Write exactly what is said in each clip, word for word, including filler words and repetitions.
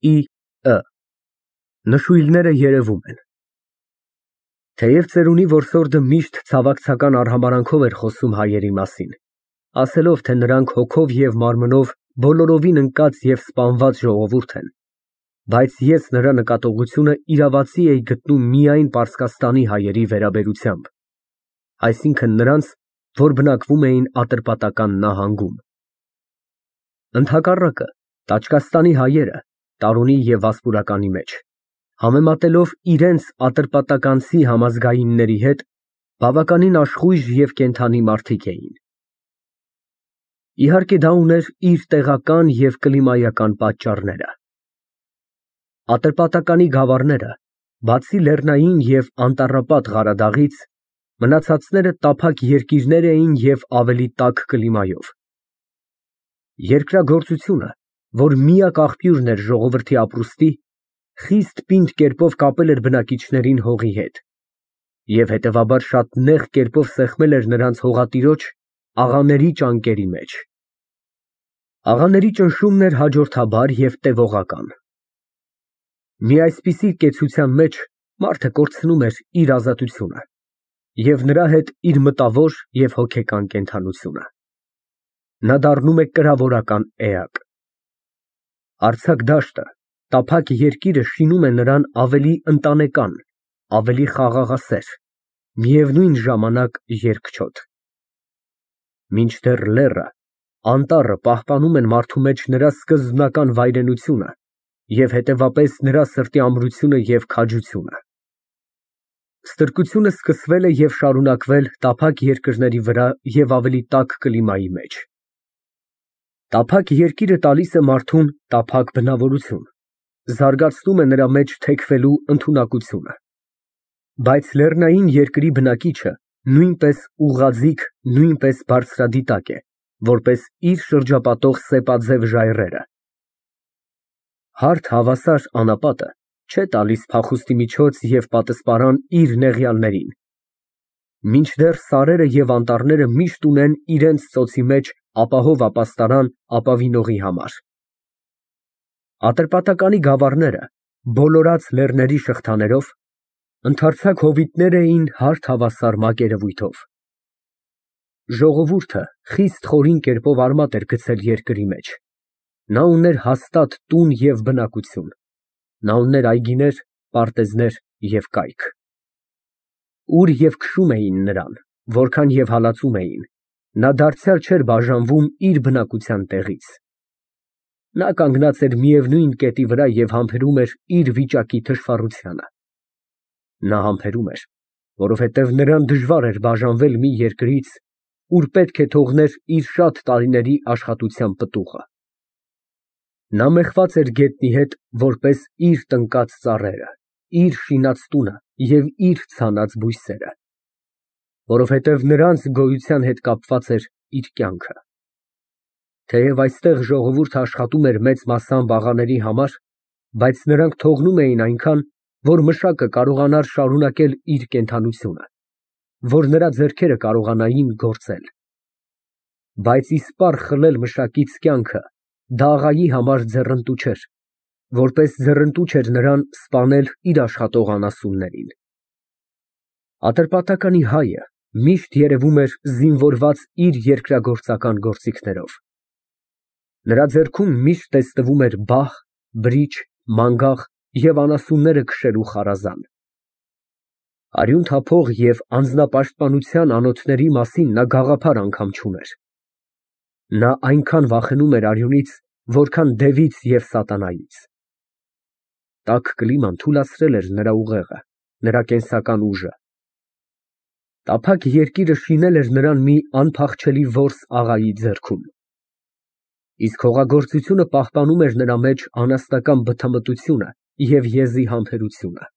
Ի Նշույլները երևում են։ Թեև ծերունի որսորդը միշտ ցավակցական արհամարհանքով էր խոսում հայերի մասին, ասելով, թե նրանք հոգով և մարմնով բոլորովին ընկած և սպանված ժողովուրդ են, բայց ես նրա նկատողությունը իրավացի էի գտնում միայն Պարսկաստանի հայերի վերաբերությամբ, այսինքն նրանց, որ բնակվում էին Ատրպատական նահանգում։ Ընդհակառակը, Տաճկաստանի հայերը Տարոնի և Վասպուրականի մեջ, համեմատելով իրենց ատրպատականցի համազգայինների հետ, բավականին աշխույժ և կենդանի մարդիկ էին։ Իհարկե, դա ուներ իր տեղական և կլիմայական պատճառները։ Ատրպատականի գավառները, բացի լեռնային և անտառապատ Ղարադաղից, մնացածները տափակ երկիրներ էին և ավելի տաք կլիմայով։ Երկրագործությունը, որ միակ աղբյուրն էր ժողովրդի ապրուստի, խիստ պինդ կերպով կապել էր բնակիչներին հողի հետ և հետևաբար շատ նեղ կերպով սեղմել էր նրանց հողատիրոջ աղաների ճանկերի մեջ։ Աղաների ճնշումն էր հաջորդաբար և տևողական։ Մի այսպիսի կեցության մեջ մարդը կորցնում էր իր ազատությունը և նրա հետ իր մտավոր և հոգեկան կենդանությունը։ Նա դառնում է կրավորական էակ։ Արձակ դաշտը, տափակ երկիրը շինում է նրան ավելի ընտանեկան, ավելի խաղաղասեր, միևնույն ժամանակ երկչոտ։ Մինչդեռ լեռը, անտառը պահպանում են մարդու մեջ նրա սկզբնական վայրենությունը և հետևապես նրա սրտի ամրությունը և քաջությունը։ Ստրկությունը սկսվել է և շարունակվել տափակ երկրների վրա և ավելի տաք կլիմայի մեջ։ Տափակ երկիրը տալիս է մարդուն տափակ բնավորություն, զարգացնում է նրա մեջ թեքվելու ընդունակությունը։ Բայց լեռնային երկրի բնակիչը նույնպես ուղղաձիգ, նույնպես բարձրադիտակ է, որպես իր շրջապատող սեպաձև ժայռերը։ Հարթ հավասար անապատը չէ տալիս փախուստի միջոց և պատսպարան իր նեղյալներին, մինչդեռ սարերը և անտառները միշտ ունեն իրենց ծոցի մեջ ապահով ապաստարան ապավինողի համար։ Ատրպատականի գավառները, բոլորած լեռների շղթաներով, ընդարձակ հովիտներ էին հարթ հավասար մակերևույթով։ Ժողովուրդը խիստ խորին կերպով արմատ էր գցել երկրի մեջ, նա ուներ հաստատ տուն և բնակություն, նա ուներ այգիներ, պարտեզներ և կայք։ Ուր և քշում էին նրան, որքան և հալածում էին, նա դարձյալ չէր բաժանվում իր բնակության տեղից։ Նա կանգնած էր միևնույն կետի վրա և համբերում էր իր վիճակի թշվառությանը։ Նա համբերում էր, որովհետև նրան դժվար էր բաժանվել մի երկրից, ուր պետք է թողներ իր շատ տարիների աշխատության պտուղը։ Նա մեխված էր գետնի հետ որպես իր տնկած ծառերը, իր շինած տունը և իր ցանած բույսերը, որովհետև նրանց գոյության հետ կապված էր իր կյանքը։ Թեև այստեղ ժողովուրդը աշխատում էր մեծ մասամբ աղաների համար, բայց նրանք թողնում էին այնքան, որ մշակը կարողանար շարունակել իր կենդանությունը, որ նրա ձեռքերը կարողանային գործել։ Բայց իսպառ խլել մշակից կյանքը դա աղայի համար ձեռնտու չէր, որպես ձեռնտու չէր նրան սպանել իր աշխատող անասուններին։ Ատրպատականի հայը միշտ երևում էր զինվորված իր երկրագործական գործիքներով։ Նրա ձեռքում միշտ տեսնվում էր բահ, բրիչ, մանգաղ և անասունները քշելու խարազան։ Արյուն թափող և անձնապաշտպանության անոթների մասին նա գաղափար անգամ չուներ։ Նա այնքան վախենում էր արյունից, որքան դևից և սատանայից։ Տաք կլիման թուլացրել էր նրա ուղեղը, նրա կենսական ուժը։ Տափակ երկիրը շինել էր նրան մի անփախչելի որս աղայի ձեռքում։ Իսկ հողագործությունը պահպանում էր նրա մեջ անասնական բթամտությունը և եզի համբերությունը։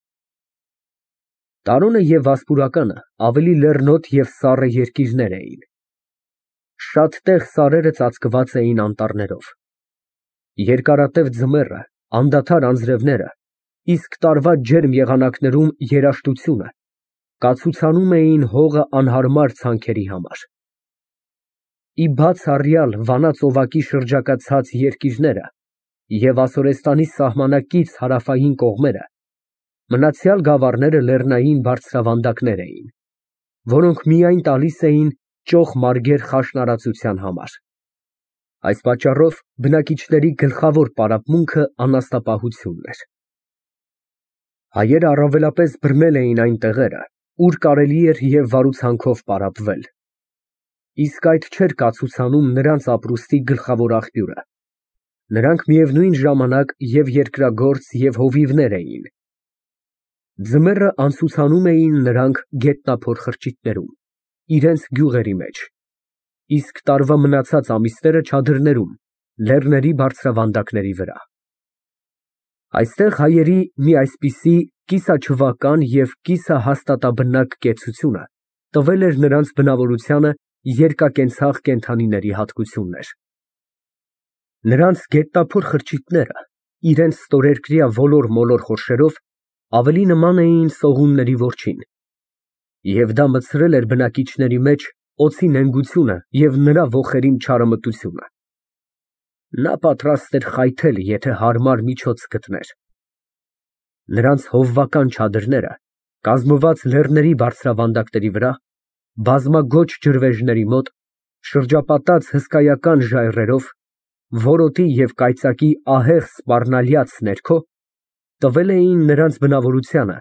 Տարոնը և Վասպուրականը ավելի լեռնոտ և սառը երկիրներ էին։ Շատ տեղ սարերը ծածկված էին անտառներով։ Երկարատև ձմեռը, անդադար անձրևները, իսկ տարվա ջերմ եղանակներում երաշտությունը կացուցանում էին հողը անհարմար ցանքերի համար։ Ի բաց առյալ Վանա ծովակի շրջակա ցած երկիրները և Ասորեստանի սահմանակից հարավային կողմերը, մնացյալ գավառները լեռնային բարձրավանդակներ էին, որոնք միայն տալիս էին ճոխ մարգեր խաշնարածության համար։ Այս պատճառով բնակիչների գլխավոր պարապմունքը անասնապահությունն էր։ Հայերը առավելապես բռնել էին այն տեղերը, ուր կարելի էր և վարուցանքով պարապվել, իսկ այդ չէր կացուցանում նրանց ապրուստի գլխավոր աղբյուրը։ Նրանք միևնույն ժամանակ և երկրագործ, և հովիվներ էին։ Ձմեռը անցուցանում էին նրանք գետնափոր խրճիթներում, իրենց գյուղերի մեջ, իսկ տարվա մնացած ամիսները չադրներում, լեռների բարձրավանդակների վրա։ Այստեղ հայերի մի այսպիսի կիսաչվական և կիսահաստատաբնակ կեցությունը տվել էր նրանց բնավորությանը երկակենցաղ կենդանիների հատկություններ։ Նրանց գետնափոր խրճիթները իրենց ստորերկրյա ոլոր-մոլոր խորշերով ավելի նման էին սողունների որջին, և դա մտցրել էր բնակիչների մեջ օձի նենգությունը և նրա ոխերիմ չարամտությունը։ Նա պատրաստ էր խայթել, եթե հարմար միջոց գտներ։ Նրանց հովվական չադրները, կազմված լեռների բարձրավանդակների վրա, բազմագոչ ջրվեժների մոտ, շրջապատած հսկայական ժայռերով, որոտի և կայծակի ահեղ սպառնալյաց ներքո, տվել էին նրանց բնավորությանը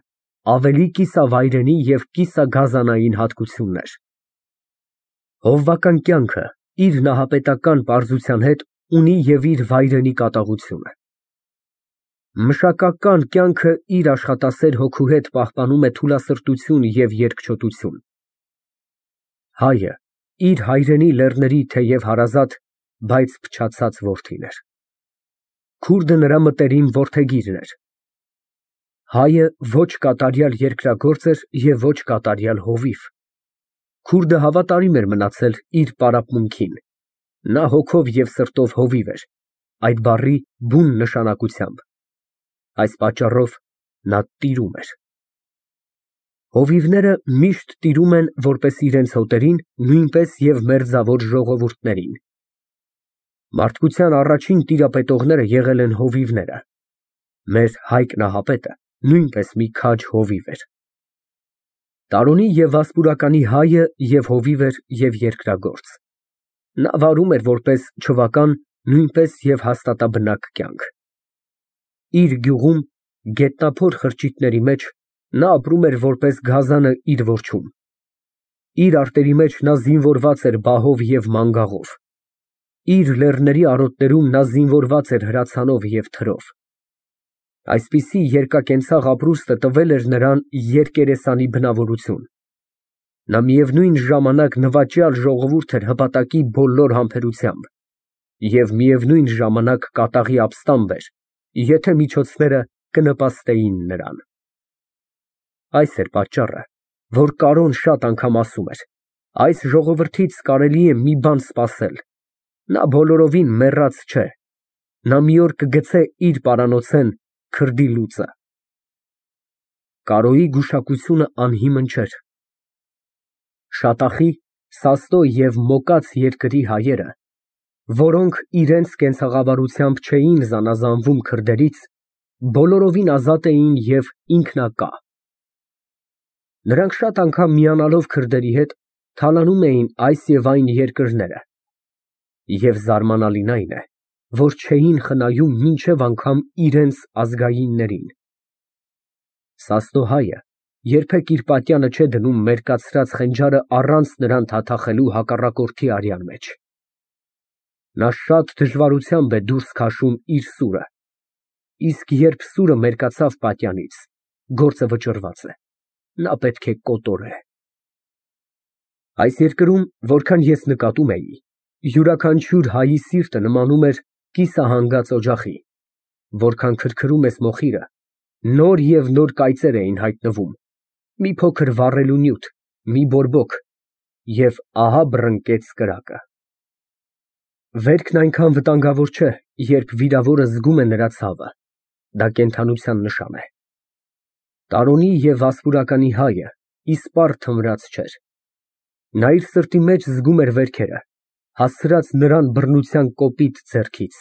ավելի կիսավայրենի և կիսագազանային հատկություններ։ Հովվական կյանքը իր նահապետական պարզության հետ ունի և իր վայրենի կատաղությունը։ Մշակական կյանքը իր աշխատասեր հոգու հետ պահպանում է թուլասրտություն և երկչոտություն։ Հայը իր հայրենի լեռների թեև հարազատ, բայց փչացած որդին էր։ Քուրդը նրա մտերիմ որդեգիրն էր։ Հայը ոչ կատարյալ երկրագործ էր և ոչ կատարյալ հովիվ։ Քուրդը հավատարիմ էր մնացել իր պարապմունքին, նա հոգով և սրտով հովիվ էր, այդ բառի բուն նշանակությամբ, այս պատճառով նա տիրում էր։ Հովիվները միշտ տիրում են որպես իրենց հոտերին, նույնպես և մերձավոր ժողովուրդներին։ Մարդկության առաջին տիրապետողները եղել են հովիվները։ Մեր Հայկ Նահապետը նույնպես մի քաջ հովիվ էր։ Տարոնի և Վասպուրականի հայը և հովիվ էր և երկրագործ։ Նա վարում էր որպես չվական նույնպես և հաստատաբնակ կյանք։ Իր գյուղում, գետնափոր խրճիթների մեջ, նա ապրում էր որպես գազանը իր որջում։ Իր արտերի մեջ նա զինվորված էր բահով և մանգաղով։ Իր լեռների արոտներում նա զինվորված էր հրացանով և թրով։ Այսպիսի երկակենցաղ ապրուստը տվել էր նրան երկերեսանի բնավորություն։ Նա միևնույն ժամանակ նվաճյալ ժողովուրդ էր հպատակի բոլոր համբերությամբ և միևնույն ժամանակ կատաղի ապստամբ էր, եթե միջոցները կնպաստեին նրան։ Այս էր պատճառը, որ Կարոն շատ անգամ ասում էր. «Այս ժողովրդից կարելի է մի բան սպասել. նա բոլորովին մեռած չէ, նա մի օր կգցե իր պարանոցեն քրդի լուծը»։ Կարոյի գուշակությունը անհիմն չէր։ Շատախի, Սաստո և Մոկած երկրի հայերը, որոնք իրենց կենցաղավարությամբ չէին զանազանվում քրդերից, բոլորովին ազատ էին և ինքնակա։ Նրանք շատ անգամ միանալով քրդերի հետ, թալանում էին այս և այն երկրները, և զարմանալին այն է, որ չէին խնայում մինչև անգամ իրենց ազգայիններին։ Սաստո հայը երբեք իր պատյանը չէ դնում մերկացրած խենջարը առանց նրան թաթախելու հակառակորդի արյան մեջ։ Նա շատ դժվարությամբ է դուրս քաշում իր սուրը, իսկ երբ սուրը մերկացավ պատյանից, գործը վճռված է, նա պետք է կոտորե։ Այս երկրում, որքան ես նկատում էի, յուրաքանչյուր հայի սիրտը նմանում էր կիսահանգած օջախի, որքան քրքրում ես մոխիրը, նոր և նոր կայծեր էին հայտնվում, մի փոքր վառելու նյութ, մի բորբոք, և ահա բռնկեց կրակը։ Վերքն այնքան վտանգավոր չէ, երբ վիրավորը զգում է նրա ցավը, դա կենդանության նշան է։ Տարոնի և Վասպուրականի հայը իսպառ թմրած չէր։ Նա իր սրտի մեջ զգում էր վերքերը, հասցրած նրան բռնության կոպիտ ձեռքից։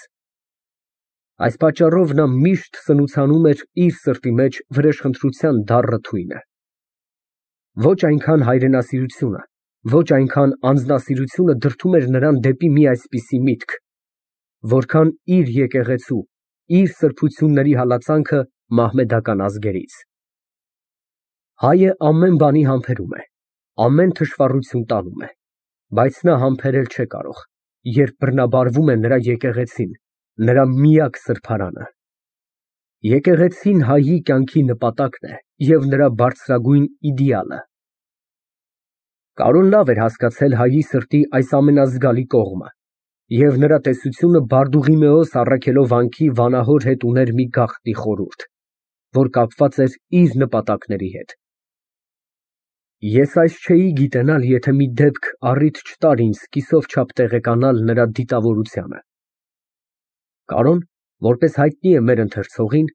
Այս պատճառով նա միշտ սնուցանում էր իր սրտի մեջ վրեժխնդրության դառը թույնը։ Ոչ այնքան հայրենասիրությունը, ոչ այնքան անձնասիրությունը դրդում էր նրան դեպի մի այսպիսի միտք, որքան իր եկեղեցու, իր սրբությունների հալածանքը մահմեդական ազգերից։ Հայը ամեն բանի համբերում է, ամեն թշվառություն տանում է, բայց նա համբերել չէ կարող, երբ բռնաբարվում է նրա եկեղեցին, նրա միակ սրբարանը։ Եկեղեցին հայի կյանքի նպատակն է և նրա բարձրագույն իդեալը։ Կարոն լավ էր հասկացել հայի սրտի այս ամենազգալի կողմը, և նրա տեսությունը Բարդուղիմեոս առաքելով վանքի վանահոր հետ ուներ մի գաղտնի խորհուրդ, որ կապված էր իր նպատակների հետ։ Ես այս չէի գիտենալ, եթե մի դեպք առիթ չտար ինձ կիսով չափ տեղեկանալ նրա դիտավորությանը։ Կարոն, որպես հայտնի է մեր ընթերցողին,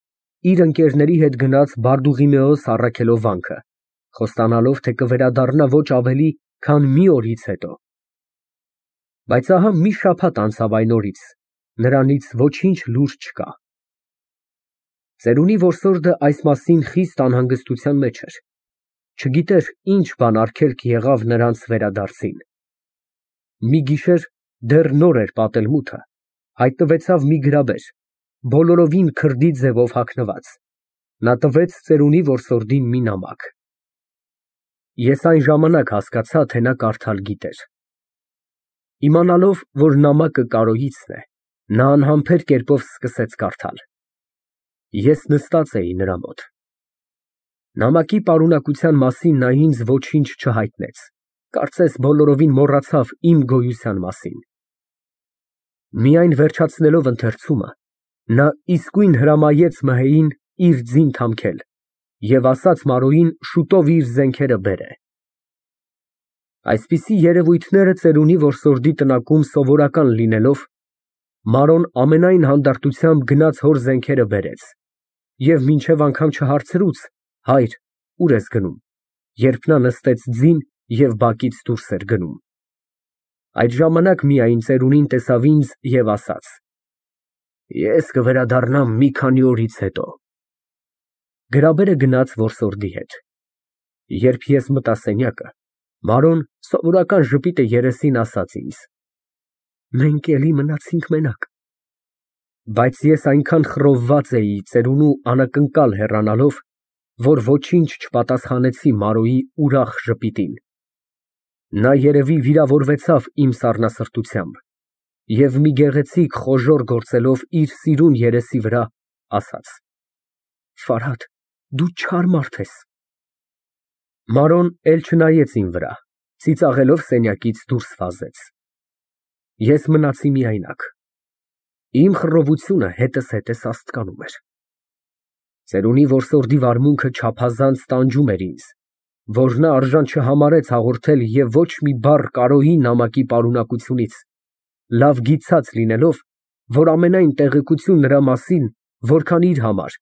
իր ընկերների հետ գնաց Բարդուղիմեոս առաքելով վանքը, խոստանալով, թե կվերադառնա ոչ ավելի, քան մի օրից հետո։ Բայց ահա մի շաբաթ անցավ այն օրից, նրանից ոչինչ լուր չկա։ Ծերունի որսորդը այս մասին խիստ անհանգստության մեջ էր, չգիտեր ինչ բան արգելք եղավ նրանց վերադարձին։ Մի գիշեր, դեռ նոր էր պատել մութը, հայտնվեցավ մի գրաբեր, բոլորովին քրդի ձևով հագնված, նա տվեց ծերունի որսորդին մի նամակ։ Ես այն ժամանակ հասկացա, թե նա կարդալ գիտեր։ Իմանալով, որ նամակը Կարոյիցն է, նա անհամբեր կերպով սկսեց կարդալ։ Ես նստած էի նրա մոտ։ Նամակի պարունակության մասին նա ինձ ոչինչ չհայտնեց, կարծես բոլորովին մոռացավ իմ գոյության մասին։ Միայն վերջացնելով ընթերցումը, նա իսկույն հրամայեց մհեին իր ձին թամքել և ասաց Մարոյին շուտով իր զենքերը բերե։ Այսպիսի երևույթները ծերունի որսորդի տնակում սովորական լինելով, Մարոն ամենայն հանդարտությամբ գնաց հոր զենքերը բերեց և մինչև անգամ չհարցրուց. «Հայր, ուր ես գնում», երբ նա նստեց ձին և բակից դուրս էր գնում։ Այդ ժամանակ միայն ծերունին տեսավ ինձ և ասաց. «Ես կվերադառնամ մի քանի օրից հետո»։ Գրաբերը գնաց որսորդի հետ։ Երբ ես մտա սենյակը, Մարոն սովորական ժպիտը երեսին ասաց ինձ. «Մենք էլի մնացինք մենակ»։ Բայց ես այնքան խռովված էի ծերունու անակնկալ հեռանալով, որ ոչինչ չպատասխանեցի Մարոյի ուրախ ժպիտին։ Նա երևի վիրավորվեցավ իմ սառնասրտությամբ և մի գեղեցիկ խոժոռ գործելով իր սիրուն երեսի վրա, ասաց. «Ֆարհադ, դու չար մարդ ես»։ Մարոն էլ չնայեց իմ վրա, ծիծաղելով սենյակից դուրս վազեց։ Ես մնացի միայնակ։ Իմ խռովությունը հետս հետս աստկանում էր։ Ծերունի որսորդի վարմունքը չափազանց տանջում էր ինձ, որ նա արժան չհամարեց հաղորդել և ոչ մի բառ Կարոյի նամակի պարունակությունից, լավ գիտած լինելով, որ ամենայն տեղեկություն նրա մասին, որքան իր համար,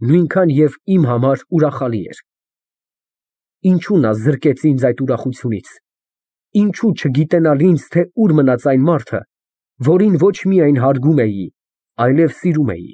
նույնքան և իմ համար ուրախալի էր։ Ինչո՞ւ նա զրկեց ինձ այդ ուրախությունից, ինչո՞ւ չգիտենալ ինձ, թե ուր մնաց այն մարդը, որին ոչ միայն հարգում էի, այլև սիրում էի։